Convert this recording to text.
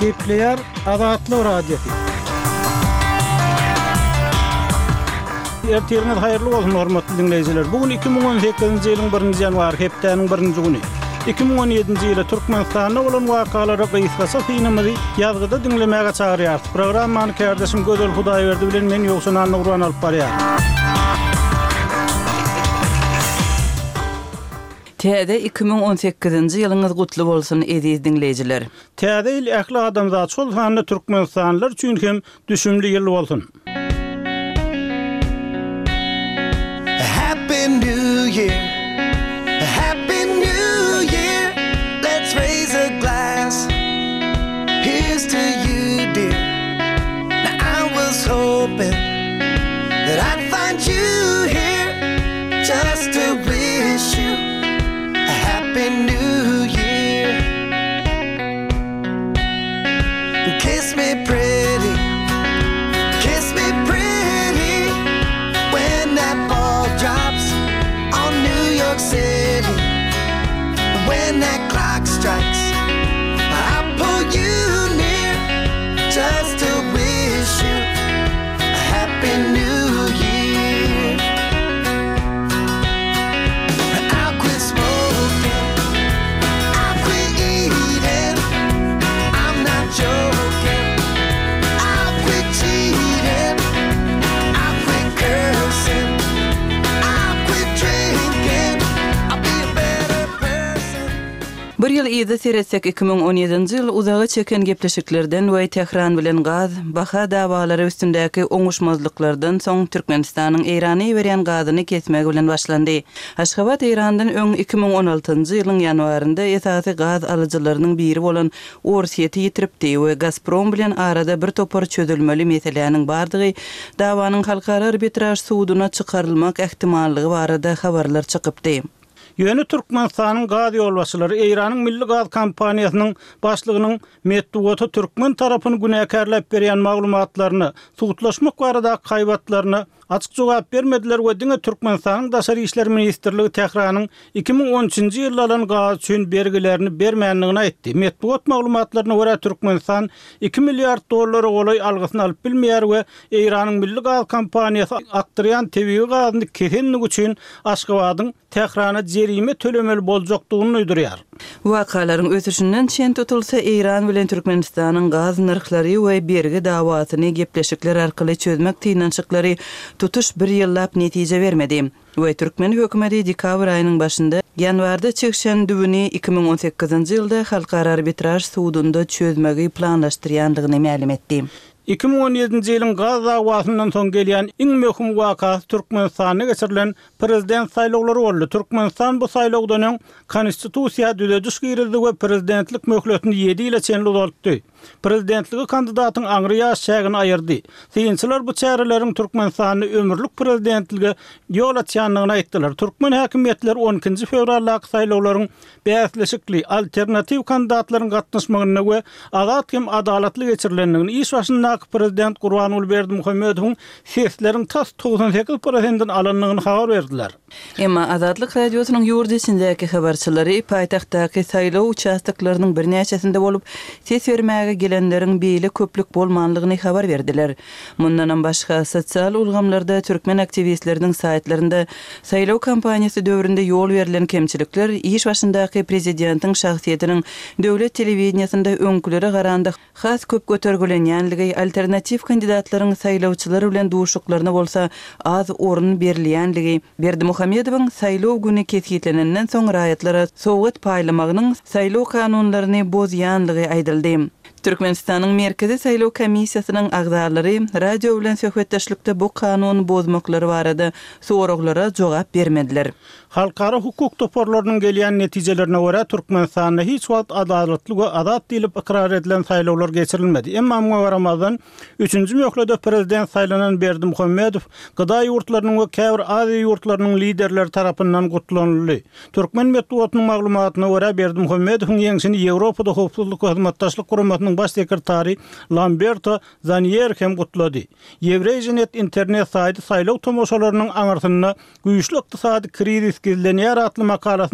Gepleýär Azatlyk Radiosy. Ertiriňiz haýyrly bolsun, hormatly diňleýjiler! Bu gün 2018-nji ýylyň birinji ýanwary, hepdäniň birinji güni. 2017-nji ýyly Türkmenistanda bolan wakalara gysgaça synymyzy ýazgyda diňlemäge çagyrýarys. Programmany kärdeşim Gözel Hudaýberdi bilen men Ýowşan Annagurban alyp barýaryn. Täze 2018-nji ýylyňyz gutly bolsun, eziz diňleýjiler! Täze ýyl ähli adamzat, şol sanda türkmenistanlylar üçin hem düşümli ýyl bolsun! Happy New Year Happy New Year Let's raise a glass Here's to you dear Now I was hoping That I'd find you here Just to wish you A happy new year Kiss me pretty Kiss me pretty When that ball drops On New York City When that clock strikes I'll pull you near Just to wish you A happy new year I'll quit smoking I'll quit eating I'm not joking I'll quit cheating I'll quit cursing I'll quit drinking I'll be a better person Bir ýyl yza seretsek, 2017-nji ýyl uzaga çeken gepleşiklerden we Tähran bilen gaz baha dawalary üstündäki oňuşmazlyklardan soň Türkmenistanyň Eýrana iberýän gazyny kesmegi bilen başlandy. Aşgabat Eýrandan öň 2016-njy ýylyň ýanwarynda esasy gaz alyjylarynyň biri bolan Orsýeti ýitiripdi we Gazprom bilen arada bir topar çözülmeli meseläniň bardygy, dawanyň halkara arbitraž suduna çykarylmak ähtimallygy barada habarlar çykypdy. Ýöne Türkmenistanyň gaz ýolbaşçylary Eýranyň milli gaz kompaniýasynyň başlygynyň metbugata türkmen tarapyny günäkärläp berýän maglumatlaryna, sudlaşmak baradaky haýbatlaryna açyk jogap bermediler we diňe Türkmenistanyň Daşary işler ministrligi Tähranyň 2013-nji ýylda alan gazy üçin bergilerini bermändigini aýtdy. Metbugat maglumatlaryna görä, Türkmenistan iki milliard dollara golaý algysyny alyp bilmeýär we Eýranyň milli gaz kompaniýasy akdyrýan tebigy gazyny kesendigi üçin Aşgabadyň Tährana jerime tölemeli boljakdygyny duýdurýar. Wakalaryň ösüşinden çen tutulsa, Eýran bilen Türkmenistanyň gaz nyrhlary we bergi dawasyny gepleşikler arkaly çözmek synanyşyklary tutuş bir ýyllap netije bermedi we türkmen hökümeti dekabr aýynyň başynda ýanwarda çigşen düwüni 2018-nji ýylda Halkara arbitraž sudunda çözmegi planlaşdyrýandygyny mälim etdi. 2017-nji ýylyň gaz dawasyndan soň gelýän iň möhüm wakasy Türkmenistanda geçirilen prezident saýlawlary boldy. Türkmenistan bu saýlawdan öň Konstitusiýa düzediş girizdi we prezidentlik möhletini ýedi ýyla çenli uzaltdy. Prezidentlige kandidatyň aňry ýaş çägini aýyrdy. Synçylar bu çäreleriň Türkmenistanda ömürlik prezidentlige ýol açýandygyny aýtdylar. Türkmen häkimiýetleri on ikinji fewraldaky saýlawlaryň bäsleşikli, alternatiw kandidatlaryň gatnaşmagynda we azat hem adalatly geçirilendigini, iş başyndaky prezident Gurbanguly Berdimuhamedowyň sesleriň tas 98 prosentini alandygyny habar berdiler. Emma Azatlyk Radiosynyň ýurt içindäki habarçylary paýtagtdaky saýlaw uçastoklarynyň birnäçesinde bolup, ses bermäge gelenleriň beýle köplük bolmanlygyny habar berdiler. Mundanam başga, sosial ulgamlarda türkmen aktiwistleriniň saýtlarynda saýlaw kampaniýasy döwründe ýol berlen kemçilikler, iş başyndaky prezidentiň şahsyýetiniň döwlet telewideniýesinde öňkülere garanda has köp götergilenýänligi, alternatiw kandidatlaryň saýlawçylar bilen duşuklaryna bolsa az orun berilýänligi, Berdimuhamedowyň saýlaw güni kesgitlenenden soň raýatlara sowgat paýlamagynyň saýlaw kanunlaryny bozýanlygy aýdyldy. Türkmenistanyň Merkezi saýlaw komissiýasynyň agzalary radio bilen söhbetdeşlikde bu kanun bozmaklary barada soraglara jogap bermediler. Halkara hukuk toparlarynyň gelýän netijelerine görä, Türkmenistanda hiç wagt adalatly we azat diýlip ykrar edilen saýlawlar geçirilmedi. Emma muňa garamazdan, üçünji möhlede prezident saýlanan Berdimuhamedow GDA ýurtlarynyň we käbir Aziýa ýurtlarynyň liderleri tarapyndan gutlanyldy. Türkmen metbugatynyň maglumatyna görä, Berdimuhamedowyň ýeňşini Ýewropada Howpsuzlyk we Hyzmatdaşlyk Guramasynyň baş sekretary Lamberto Zanýer hem gutlady. Ýewreýzinet internet saýty saýlaw tomaşalarynyň aňyrsynda güýçli ykdysady krizis gizlenýär atly makalasynda.